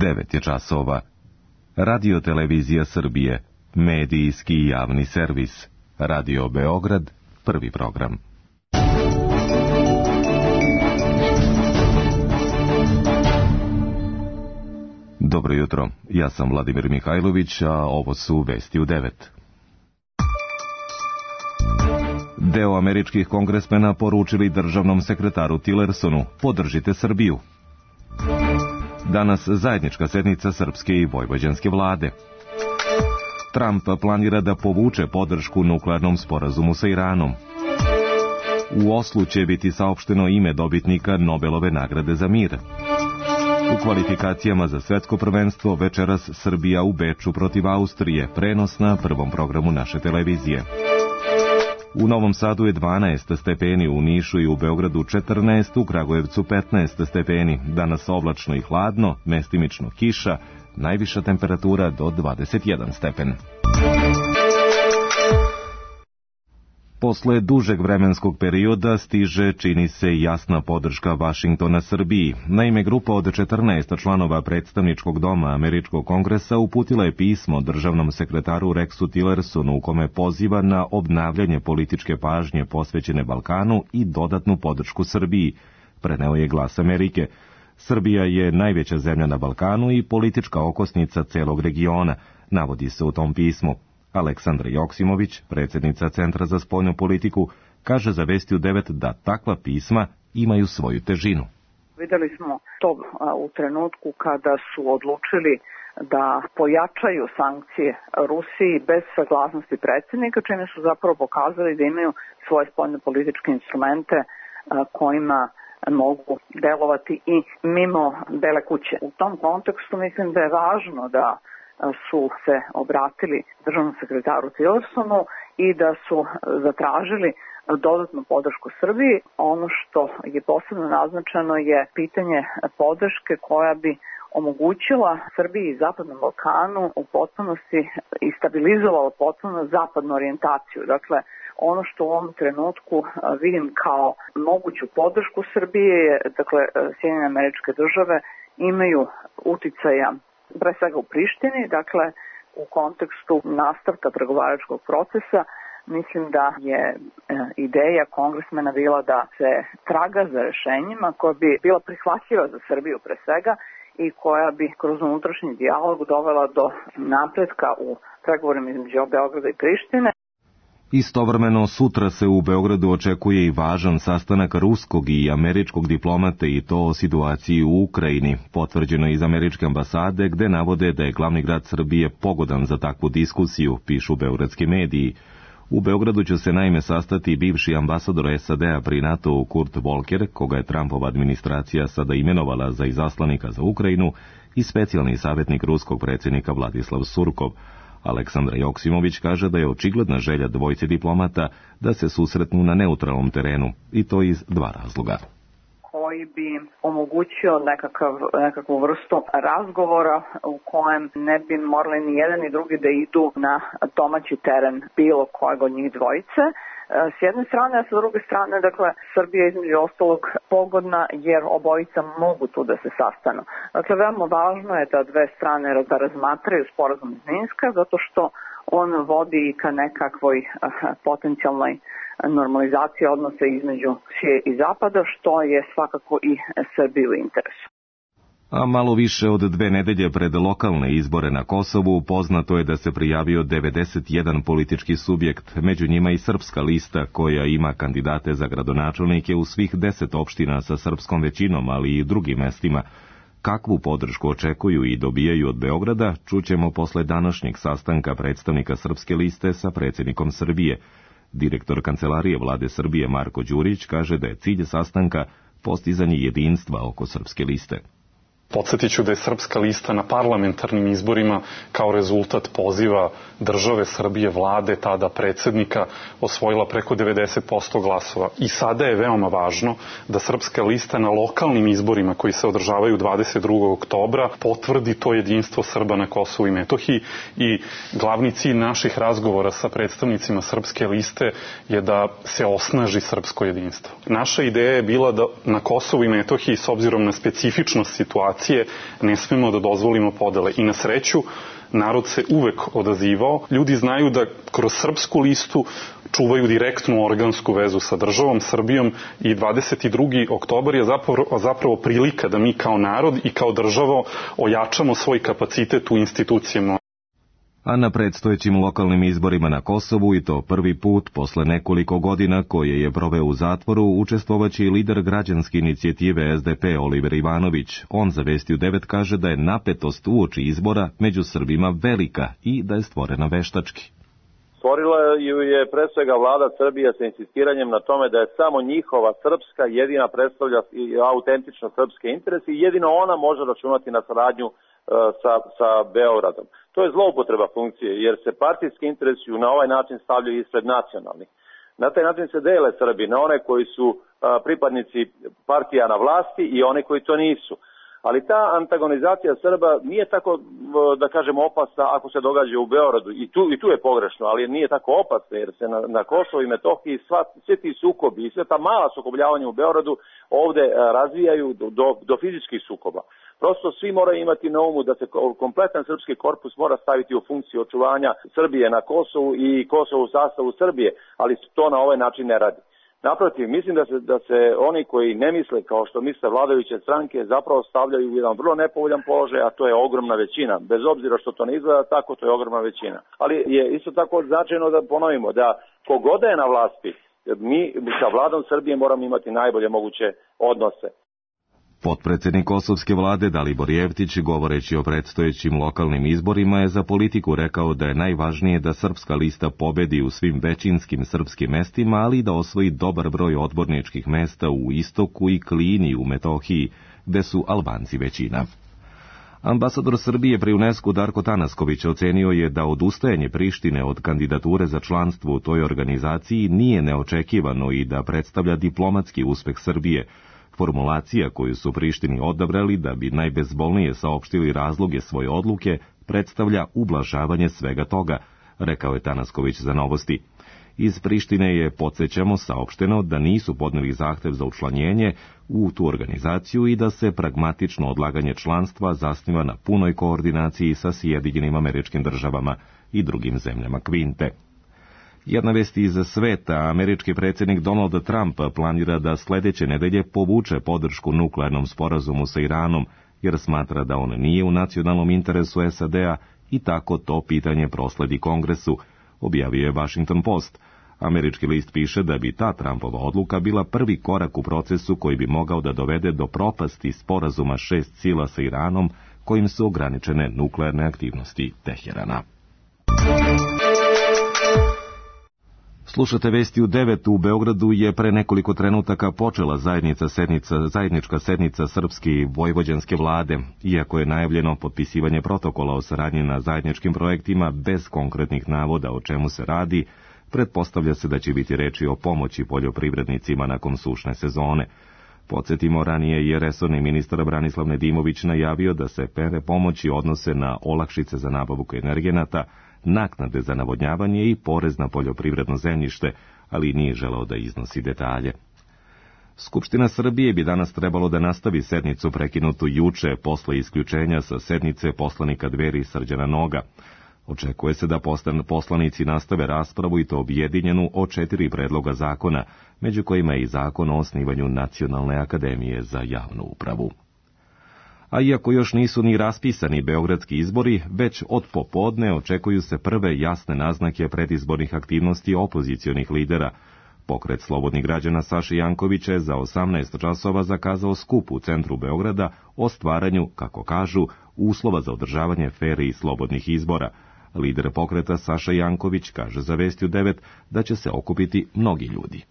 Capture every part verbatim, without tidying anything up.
devet je časova. Radio Televizija Srbije, medijski i javni servis. Radio Beograd, prvi program. Dobro jutro, ja sam Vladimir Mihajlović, a ovo su vesti u devet. Deo američkih kongresmena poručili državnom sekretaru Tillersonu: podržite Srbiju. Danas zajednička sednica srpske i vojvođanske vlade. Trump planira da povuče podršku nuklearnom sporazumu sa Iranom. U Oslu će biti saopšteno ime dobitnika Nobelove nagrade za mir. U kvalifikacijama za svetsko prvenstvo večeras Srbija u Beču protiv Austrije, prenos na prvom programu naše televizije. U Novom Sadu je dvanaest stepeni, u Nišu i u Beogradu četrnaest, u Kragujevcu petnaest stepeni. Danas oblačno i hladno, mestimično kiša, najviša temperatura do dvadeset jedan stepen. Posle dužeg vremenskog perioda stiže, čini se, jasna podrška Vašingtona Srbiji. Naime, grupa od četrnaest članova predstavničkog doma Američkog kongresa uputila je pismo državnom sekretaru Rexu Tillersonu u kome poziva na obnavljanje političke pažnje posvećene Balkanu i dodatnu podršku Srbiji, preneo je Glas Amerike. Srbija je najveća zemlja na Balkanu i politička okosnica celog regiona, navodi se u tom pismu. Aleksandra Joksimović, predsjednica Centra za spoljnu politiku, kaže za Vesti u devet da takva pisma imaju svoju težinu. Vidjeli smo to u trenutku kada su odlučili da pojačaju sankcije Rusiji bez saglasnosti predsjednika, čime su zapravo pokazali da imaju svoje spoljno političke instrumente kojima mogu delovati i mimo Bele kuće. U tom kontekstu mislim da je važno da su se obratili državnom sekretaru Tillersonu i da su zatražili dodatnu podršku Srbiji. Ono što je posebno naznačeno je pitanje podrške koja bi omogućila Srbiji i Zapadnom Balkanu u potpunosti i stabilizovala potpuno zapadnu orijentaciju. Dakle, ono što u ovom trenutku vidim kao moguću podršku Srbije je, dakle, Sjedinjene Američke Države imaju uticaja pre svega u Prištini, dakle u kontekstu nastavka pregovaračkog procesa. Mislim da je e, ideja kongresmena bila da se traga za rešenjima koja bi bila prihvatljiva za Srbiju pre svega i koja bi kroz unutrašnji dijalog dovela do napretka u pregovorima između Beograda i Prištine. Istovremeno sutra se u Beogradu očekuje i važan sastanak ruskog i američkog diplomate i to o situaciji u Ukrajini, potvrđeno iz američke ambasade gde navode da je glavni grad Srbije pogodan za takvu diskusiju, pišu beogradski mediji. U Beogradu će se naime sastati bivši ambasador S A D-a pri NATO-u Kurt Volker, koga je Trumpova administracija sada imenovala za izaslanika za Ukrajinu, i specijalni savjetnik ruskog predsjednika Vladislav Surkov. Aleksandra Joksimović kaže da je očigledna želja dvojice diplomata da se susretnu na neutralnom terenu, i to iz dva razloga. Koji bi omogućio nekakav, nekakvu vrstu razgovora u kojem ne bi morali ni jedan ni drugi da idu na domaći teren bilo kojeg od njih dvojice. S jedne strane, a sa druge strane, dakle, Srbija je između ostalog pogodna jer obojica mogu tu da se sastanu. Dakle, veoma važno je da dve strane da razmatraju sporazum iz Minska, zato što on vodi ka nekakvoj potencijalnoj normalizaciji odnosa između Rusije i Zapada, što je svakako i Srbiji u interesu. A malo više od dve nedelje pred lokalne izbore na Kosovu poznato je da se prijavio devedeset jedan politički subjekt, među njima i srpska lista koja ima kandidate za gradonačelnike u svih deset opština sa srpskom većinom, ali i drugim mestima. Kakvu podršku očekuju i dobijaju od Beograda, čućemo posle današnjeg sastanka predstavnika srpske liste sa predsjednikom Srbije. Direktor Kancelarije Vlade Srbije Marko Đurić kaže da je cilj sastanka postizanje jedinstva oko srpske liste. Podsjetit ću da je Srpska lista na parlamentarnim izborima kao rezultat poziva države Srbije, vlade, tada predsjednika, osvojila preko devedeset posto glasova. I sada je veoma važno da Srpska lista na lokalnim izborima koji se održavaju dvadeset drugog oktobra potvrdi to jedinstvo Srba na Kosovu i Metohiji. I glavni cilj naših razgovora sa predstavnicima Srpske liste je da se osnaži srpsko jedinstvo. Naša ideja je bila da na Kosovu i Metohiji, s obzirom na specifičnost situacije nacije, ne smemo da dozvolimo podele. I na sreću, narod se uvek odazivao. Ljudi znaju da kroz Srpsku listu čuvaju direktnu organsku vezu sa državom Srbijom i dvadeset drugi oktobar je zapravo, zapravo prilika da mi kao narod i kao država ojačamo svoj kapacitet u institucijama. A na predstojećim lokalnim izborima na Kosovu, i to prvi put posle nekoliko godina koje je proveo u zatvoru, učestvovaće i lider građanske inicijative S D P Oliver Ivanović. On za Vesti u devet kaže da je napetost uoči izbora među Srbima velika i da je stvorena veštački. Stvorila ju je pre svega vlada Srbije sa insistiranjem na tome da je samo njihova srpska jedina predstavlja autentično srpske interese i jedino ona može računati na saradnju sa, sa Beogradom. To je zloupotreba funkcije, jer se partijski interesi na ovaj način stavljaju ispred nacionalnih. Na taj način se dele Srbi na one koji su pripadnici partija na vlasti i one koji to nisu. Ali ta antagonizacija Srba nije tako, da kažemo, opasna ako se događa u Beogradu. I tu, i tu je pogrešno, ali nije tako opasna, jer se na, na Kosovo i Metohiji sva, svi ti sukobi i sve ta mala sukobljavanja u Beogradu ovde razvijaju do, do, do fizičkih sukoba. Prosto svi moraju imati na umu da se kompletan srpski korpus mora staviti u funkciju očuvanja Srbije na Kosovu i Kosovu u sastavu Srbije, ali to na ovaj način ne radi. Naprotiv, mislim da se, da se oni koji ne misle kao što misle vladajuće stranke zapravo stavljaju u jedan vrlo nepovoljan položaj, a to je ogromna većina. Bez obzira što to ne izgleda tako, to je ogromna većina. Ali je isto tako značajno da ponovimo da kogoda je na vlasti, mi sa vladom Srbije moramo imati najbolje moguće odnose. Potpredsednik kosovske vlade Dalibor Jevtić, govoreći o predstojećim lokalnim izborima, je za Politiku rekao da je najvažnije da Srpska lista pobedi u svim većinskim srpskim mestima, ali i da osvoji dobar broj odborničkih mesta u Istoku i Klini u Metohiji, gde su Albanci većina. Ambasador Srbije pri UNESCO Darko Tanasković ocenio je da odustajanje Prištine od kandidature za članstvo u toj organizaciji nije neočekivano i da predstavlja diplomatski uspeh Srbije. Formulacija koju su Prištini odabrali da bi najbezbolnije saopštili razloge svoje odluke predstavlja ublažavanje svega toga, rekao je Tanasković za Novosti. Iz Prištine je, podsjećamo, saopšteno da nisu podneli zahtev za učlanjenje u tu organizaciju i da se pragmatično odlaganje članstva zasniva na punoj koordinaciji sa Sjedinjenim Američkim Državama i drugim zemljama Kvinte. Jedna vest iz sveta, američki predsjednik Donald Trump planira da sledeće nedelje povuče podršku nuklearnom sporazumu sa Iranom, jer smatra da on nije u nacionalnom interesu S A D-a i tako to pitanje prosledi Kongresu, objavio je Washington Post. Američki list piše da bi ta Trumpova odluka bila prvi korak u procesu koji bi mogao da dovede do propasti sporazuma šest sila sa Iranom, kojim su ograničene nuklearne aktivnosti Teherana. Slušate Vesti u devet. U Beogradu je pre nekoliko trenutaka počela zajednica sednica, zajednička sednica srpske i vojvođanske vlade. Iako je najavljeno potpisivanje protokola o saradnji na zajedničkim projektima bez konkretnih navoda o čemu se radi, pretpostavlja se da će biti reči o pomoći poljoprivrednicima nakon sušne sezone. Podsjetimo, ranije je resorni ministar Branislav Nedimović najavio da se mere pomoći odnose na olakšice za nabavku energenata, naknade za navodnjavanje i porez na poljoprivredno zemljište, ali nije želeo da iznosi detalje. Skupština Srbije bi danas trebalo da nastavi sednicu prekinutu juče posle isključenja sa sednice poslanika Dveri Srđana Noga. Očekuje se da poslanici nastave raspravu i to objedinjenu o četiri predloga zakona, među kojima je i zakon o osnivanju Nacionalne akademije za javnu upravu. A iako još nisu ni raspisani beogradski izbori, već od popodne očekuju se prve jasne naznake predizbornih aktivnosti opozicionih lidera. Pokret slobodnih građana Saše Jankovića je za osamnaest časova zakazao skup u centru Beograda o stvaranju, kako kažu, uslova za održavanje fer i slobodnih izbora. Lider pokreta Saša Janković kaže za Vesti u devet da će se okupiti mnogi ljudi.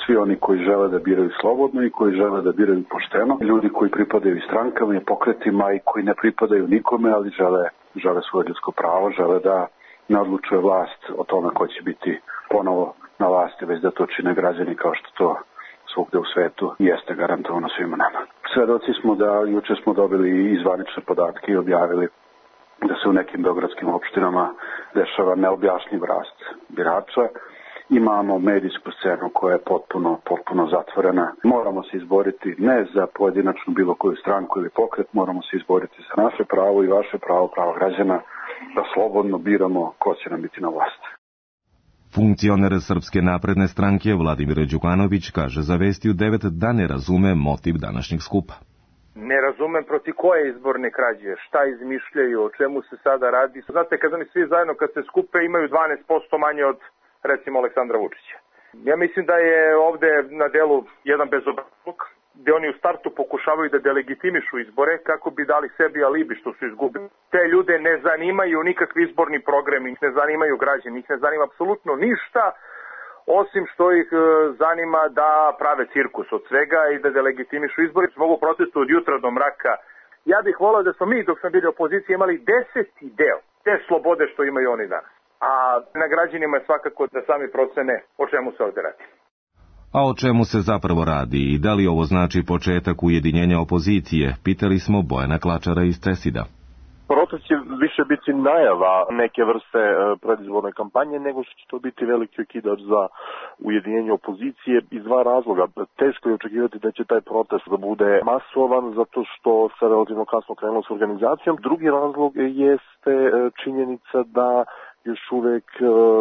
Svi oni koji žele da biraju slobodno i koji žele da biraju pošteno, ljudi koji pripadaju i strankama i pokretima i koji ne pripadaju nikome, ali žele, žele svoje ljudsko pravo, žele da ne odlučuje vlast o tome ko će biti ponovo na vlasti, već da to čine građani kao što to svugde u svetu jeste garantovano svima nama. Svedoci smo da juče smo dobili i zvanične podatke i objavili da se u nekim beogradskim opštinama dešava neobjašnjiv rast birača Imamo medijsku scenu koja je potpuno, potpuno zatvorena. Moramo se izboriti ne za pojedinačnu bilo koju stranku ili pokret, moramo se izboriti za naše pravo i vaše pravo, pravo građana, da slobodno biramo ko će nam biti na vlasti. Funkcioner Srpske napredne stranke Vladimir Đukanović kaže za Vesti u devet da ne razume motiv današnjeg skupa. Ne razumem protiv koje izborne krađe, šta izmišljaju, o čemu se sada radi. Znate, kad oni svi zajedno kad se skupe imaju dvanaest posto manje od, recimo, Aleksandra Vučića. Ja mislim da je ovde na delu jedan bezobrazluk, gde oni u startu pokušavaju da delegitimišu izbore kako bi dali sebi alibi što su izgubili. Te ljude ne zanimaju nikakvi izborni program, ih ne zanimaju građani, ih ne zanima apsolutno ništa, osim što ih zanima da prave cirkus od svega i da delegitimišu izbore. Mogu protestu od jutra do mraka. Ja bih volao da smo mi, dok smo bili opozicija, imali deseti deo te slobode što imaju oni danas. A na građanima je svakako da sami procene o čemu se ovde radi. A o čemu se zapravo radi i da li ovo znači početak ujedinjenja opozicije, pitali smo Bojana Klačara iz Cesida. Protest će više biti najava neke vrste predizborne kampanje nego što će to biti veliki okidač za ujedinjenje opozicije iz dva razloga. Teško je očekivati da će taj protest da bude masovan zato što se relativno kasno krenulo s organizacijom. Drugi razlog jeste činjenica da još uvek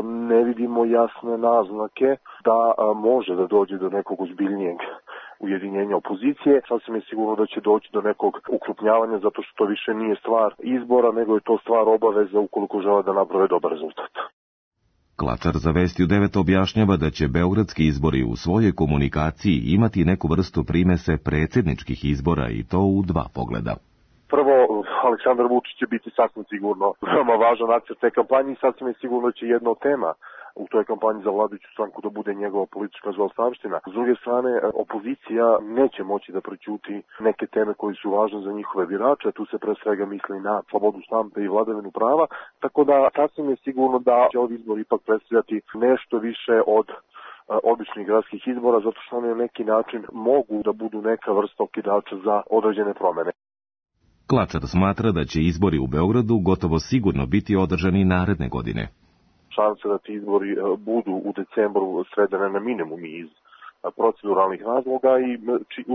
ne vidimo jasne naznake da može da dođe do nekog ozbiljnijeg ujedinjenja opozicije. Sasvim je sigurno da će doći do nekog ukrupnjavanja zato što to više nije stvar izbora, nego je to stvar obaveza ukoliko žele da naprave dobar rezultat. Klačar za Vesti u devet objašnjava da će beogradski izbori u svojoj komunikaciji imati neku vrstu primese predsjedničkih izbora i to u dva pogleda. Prvo, Aleksandar Vučić će biti sasvim sigurno veoma važan akter te kampanje i sasvim je sigurno će jedna od tema u toj kampanji za vladajuću stranku da bude njegova politička zaostavština. S druge strane, opozicija neće moći da prećuti neke teme koje su važne za njihove birače, tu se pre svega misli na slobodu štampe i vladavinu prava, tako da sasvim je sigurno da će ovi izbori ipak predstavljati nešto više od običnih gradskih izbora, zato što oni na neki način mogu da budu neka vrsta okidača za određene promene. Klačar smatra da će izbori u Beogradu gotovo sigurno biti održani naredne godine. Šanse da ti izbori budu u decembru svedene na minimum iz proceduralnih razloga i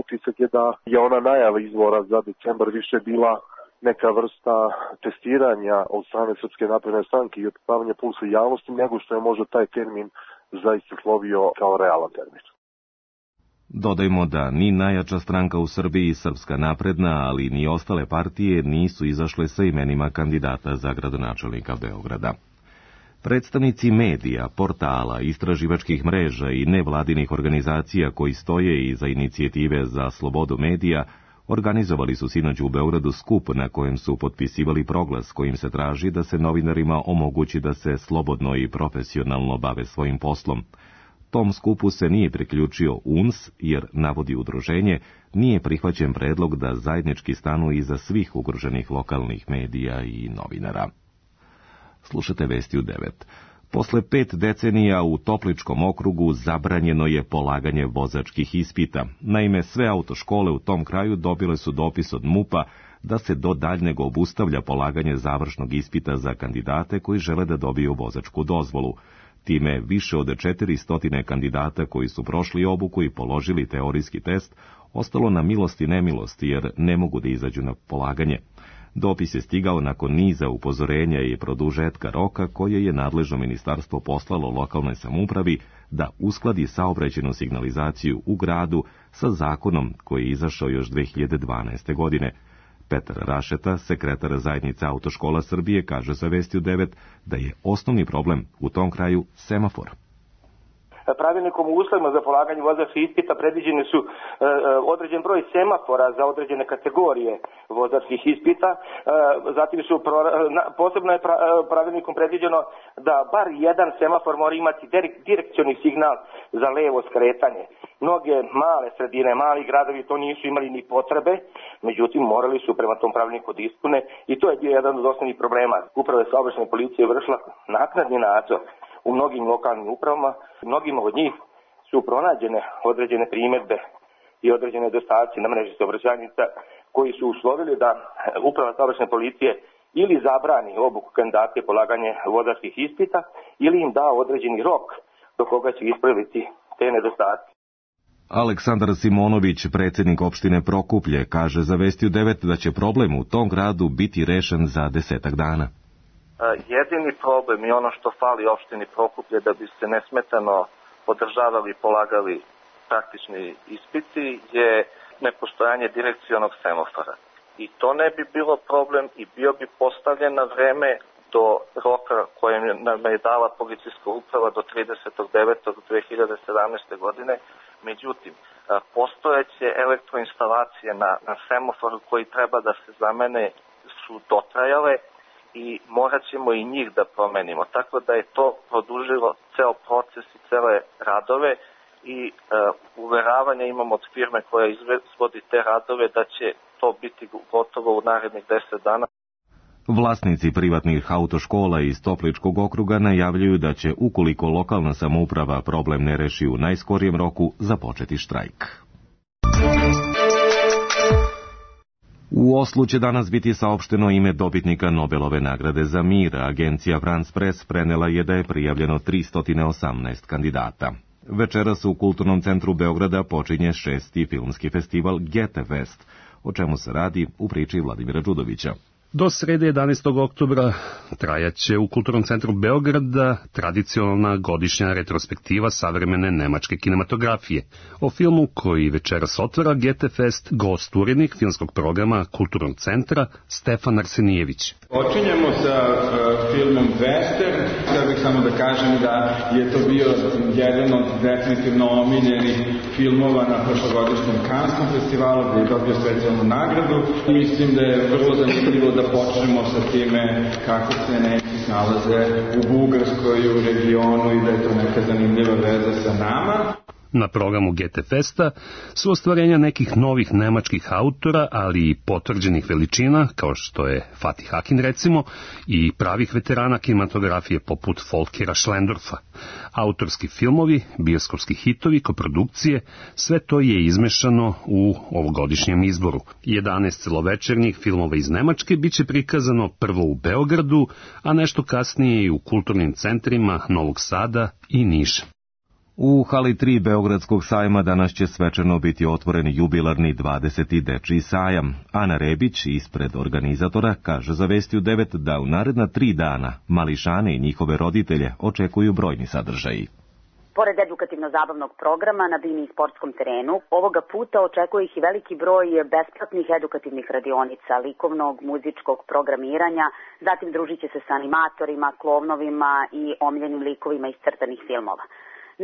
utisak je da je ona najava izbora za decembar više bila neka vrsta testiranja od strane Srpske napredne stranke i otpavanja pulsa javnosti nego što je možda taj termin zaista slovio kao realan termin. Dodajmo da ni najjača stranka u Srbiji, Srpska napredna, ali ni ostale partije nisu izašle sa imenima kandidata za gradonačelnika Beograda. Predstavnici medija, portala, istraživačkih mreža i nevladinih organizacija koji stoje iza inicijative za slobodu medija organizovali su sinoć u Beogradu skup na kojem su potpisivali proglas kojim se traži da se novinarima omogući da se slobodno i profesionalno bave svojim poslom. Tom skupu se nije priključio U N S, jer, navodi udruženje, nije prihvaćen predlog da zajednički stanu iza svih ugroženih lokalnih medija i novinara. Slušate Vesti u devet. Posle pet decenija u Topličkom okrugu zabranjeno je polaganje vozačkih ispita. Naime, sve autoškole u tom kraju dobile su dopis od M U P-a da se do daljnjeg obustavlja polaganje završnog ispita za kandidate koji žele da dobiju vozačku dozvolu. Time više od četiristo kandidata koji su prošli obuku i položili teorijski test ostalo na milost i nemilost jer ne mogu da izađu na polaganje. Dopis je stigao nakon niza upozorenja i produžetka roka koje je nadležno ministarstvo poslalo lokalnoj samoupravi da uskladi saobraćajnu signalizaciju u gradu sa zakonom koji je izašao još dve hiljade dvanaeste. godine. Petar Rašeta, sekretar zajednice Autoškola Srbije, kaže za Vesti u devet da je osnovni problem u tom kraju semafor. Pravilnikom o uslovima za polaganje vozačkih ispita predviđeni su e, određen broj semafora za određene kategorije vozačkih ispita. E, zatim su pro, na, posebno je pra, pravilnikom predviđeno da bar jedan semafor mora imati direkcioni signal za levo skretanje. Mnoge male sredine, mali gradovi to nisu imali ni potrebe, međutim morali su prema tom pravilniku da ispune i to je bio jedan od osnovnih problema. Uprava saobraćajne policije vršila naknadni nadzor u mnogim lokalnim upravama, mnogima od njih su pronađene određene primjedbe i određene nedostaci na mreži saobraćajnica koji su uslovili da uprava saobraćajne policije ili zabrani obuku kandidata polaganje vozačkih ispita ili im da određeni rok do koga će ispraviti te nedostatke. Aleksandar Simonović, predsjednik opštine Prokuplje, kaže za Vestiju devet da će problem u tom gradu biti rešen za desetak dana. Jedini problem i ono što fali opštini Prokuplje da bi se nesmetano podržavali i polagali praktični ispiti je nepostojanje direkcionog semafora. I to ne bi bilo problem i bio bi postavljen na vreme do roka kojem nam je dala policijska uprava do tridesetog devetog dve hiljade sedamnaeste. godine. Međutim, postojeće elektroinstalacije na, na semaforu koji treba da se zamene su dotrajale i morat ćemo i njih da promenimo. Tako da je to produžilo ceo proces i cele radove i e, uveravanje imamo od firme koja izvodi te radove da će to biti gotovo u narednih deset dana. Vlasnici privatnih autoškola iz Topličkog okruga najavljuju da će, ukoliko lokalna samouprava problem ne reši u najskorijem roku, započeti štrajk. U Oslu će danas biti saopšteno ime dobitnika Nobelove nagrade za mir. Agencija France Press prenela je da je prijavljeno tristo osamnaest kandidata. Večeras u Kulturnom centru Beograda počinje šesti filmski festival Getefest, o čemu se radi u priči Vladimira Đudovića. Do srede jedanaestog oktobra trajaće u Kulturnom centru Beograda tradicionalna godišnja retrospektiva savremene nemačke kinematografije. O filmu koji večeras otvara Getefest gost urednik filmskog programa Kulturnog centra Stefan Arsenijević. Počinjemo sa uh, filmom Western. Htio bih samo da kažem da je to bio jedan od definitivno omiljenih filmova na prošlogodišnjem Kanskom festivalu gdje je dobio specijalnu nagradu. Mislim da je vrlo zanimljivo da počnemo sa time kako se neki nalaze u Bugarskoj i u regionu i da je to neka zanimljiva veza sa nama. Na programu Getefesta su ostvarenja nekih novih nemačkih autora, ali i potvrđenih veličina, kao što je Fatih Akin recimo, i pravih veterana kinematografije poput Folkera Schlendorfa. Autorski filmovi, bioskopski hitovi, koprodukcije, sve to je izmešano u ovogodišnjem izboru. jedanaest celovečernjih filmova iz Nemačke biće prikazano prvo u Beogradu, a nešto kasnije i u kulturnim centrima Novog Sada i Niša. U hali tri Beogradskog sajma danas će svečano biti otvoren jubilarni dvadeseti dečiji sajam. Ana Rebić, ispred organizatora, kaže za Vestiju devet da u naredna tri dana mališane i njihove roditelje očekuju brojni sadržaji. Pored edukativno-zabavnog programa na bini i sportskom terenu, ovoga puta očekuje ih i veliki broj besplatnih edukativnih radionica, likovnog, muzičkog programiranja, zatim družit će se sa animatorima, klovnovima i omiljenim likovima iz crtanih filmova.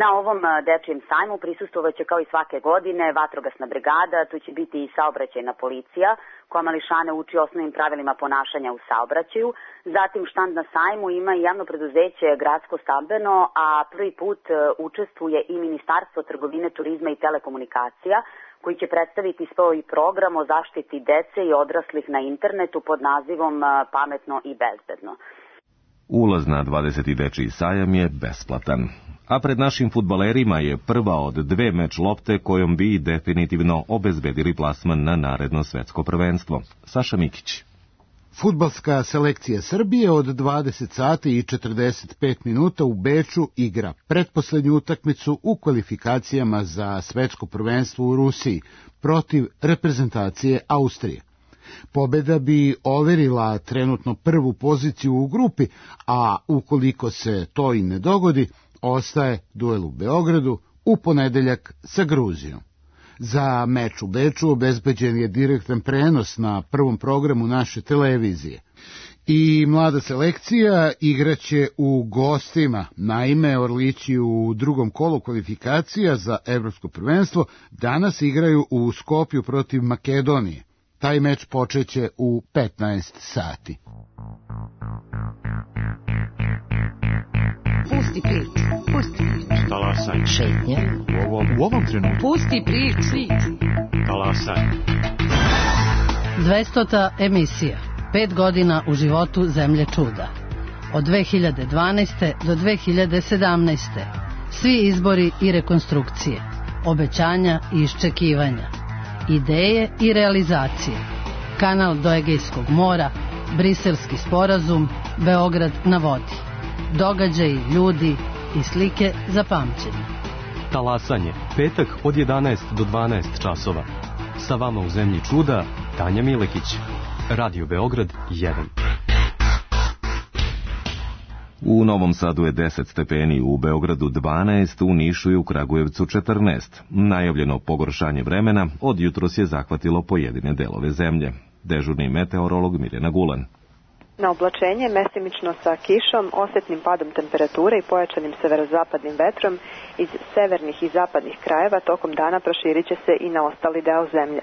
Na ovom dečijem sajmu prisustvovat će kao i svake godine vatrogasna brigada, tu će biti i saobraćajna policija koja mališane uči osnovnim pravilima ponašanja u saobraćaju. Zatim štand na sajmu ima i javno preduzeće Gradsko stambeno, a prvi put učestvuje i Ministarstvo trgovine, turizma i telekomunikacija koji će predstaviti svoj program o zaštiti dece i odraslih na internetu pod nazivom Pametno i bezbedno. Ulaz na dvadeseti dečiji sajam je besplatan. A pred našim fudbalerima je prva od dve meč lopte kojom bi definitivno obezbedili plasman na naredno svetsko prvenstvo. Saša Mikić. Fudbalska selekcija Srbije od dvadeset sati i četrdeset pet minuta u Beču igra pretposlednju utakmicu u kvalifikacijama za svetsko prvenstvo u Rusiji protiv reprezentacije Austrije. Pobeda bi overila trenutno prvu poziciju u grupi, a ukoliko se to i ne dogodi, ostaje duel u Beogradu u ponedeljak sa Gruzijom. Za meč u Beču obezbeđen je direktan prenos na prvom programu naše televizije. I mlada selekcija igraće u gostima. Naime, Orlići u drugom kolu kvalifikacija za evropsko prvenstvo danas igraju u Skopju protiv Makedonije. Taj meč počeće u petnaest sati. Pusti priču, pusti priču. Talasaj. Šetnja. U ovom, u ovom trenutku. Pusti priču. Talasaj. dvestota emisija. Pet godina u životu Zemlje čuda. Od dve hiljade dvanaeste. do dve hiljade sedamnaeste. Svi izbori i rekonstrukcije. Obećanja i iščekivanja. Ideje i realizacije. Kanal do Egejskog mora, Briselski sporazum, Beograd na vodi. Događaji, ljudi, i slike za pamćenje. Talasanje, petak od jedanaest do dvanaest časova. Sa vama u zemlji čuda, Tanja Milekić. Radio Beograd jedan. U Novom Sadu je deset stepeni, u Beogradu dvanaest, u Nišu i u Kragujevcu četrnaest. Najavljeno pogoršanje vremena od jutros je zahvatilo pojedine delove zemlje. Dežurni meteorolog Mirjana Gulan. Na oblačenje, mestimično sa kišom, osetnim padom temperature i pojačanim severozapadnim vetrom iz severnih i zapadnih krajeva tokom dana proširit će se i na ostali deo zemlje,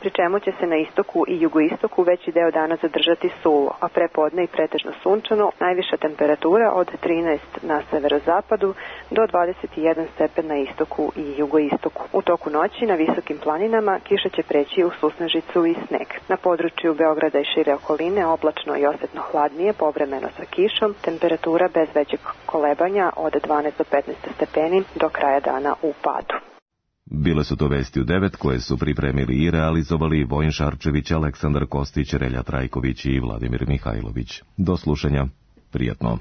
pri čemu će se na istoku i jugoistoku veći deo dana zadržati suvo, a prepodne i pretežno sunčano, najviša temperatura od trinaest na severozapadu do dvadeset jedan stepen na istoku i jugoistoku. U toku noći na visokim planinama kiša će preći u susnežicu i sneg. Na području Beograda i šire okoline oblačno i osetno hladnije, povremeno sa kišom, temperatura bez većeg kolebanja od dvanaest do petnaest stepeni do kraja dana u padu. Bile su to vesti u devet koje su pripremili i realizovali Vojin Šarčević, Aleksandar Kostić, Relja Trajković i Vladimir Mihajlović. Do slušanja. Prijatno.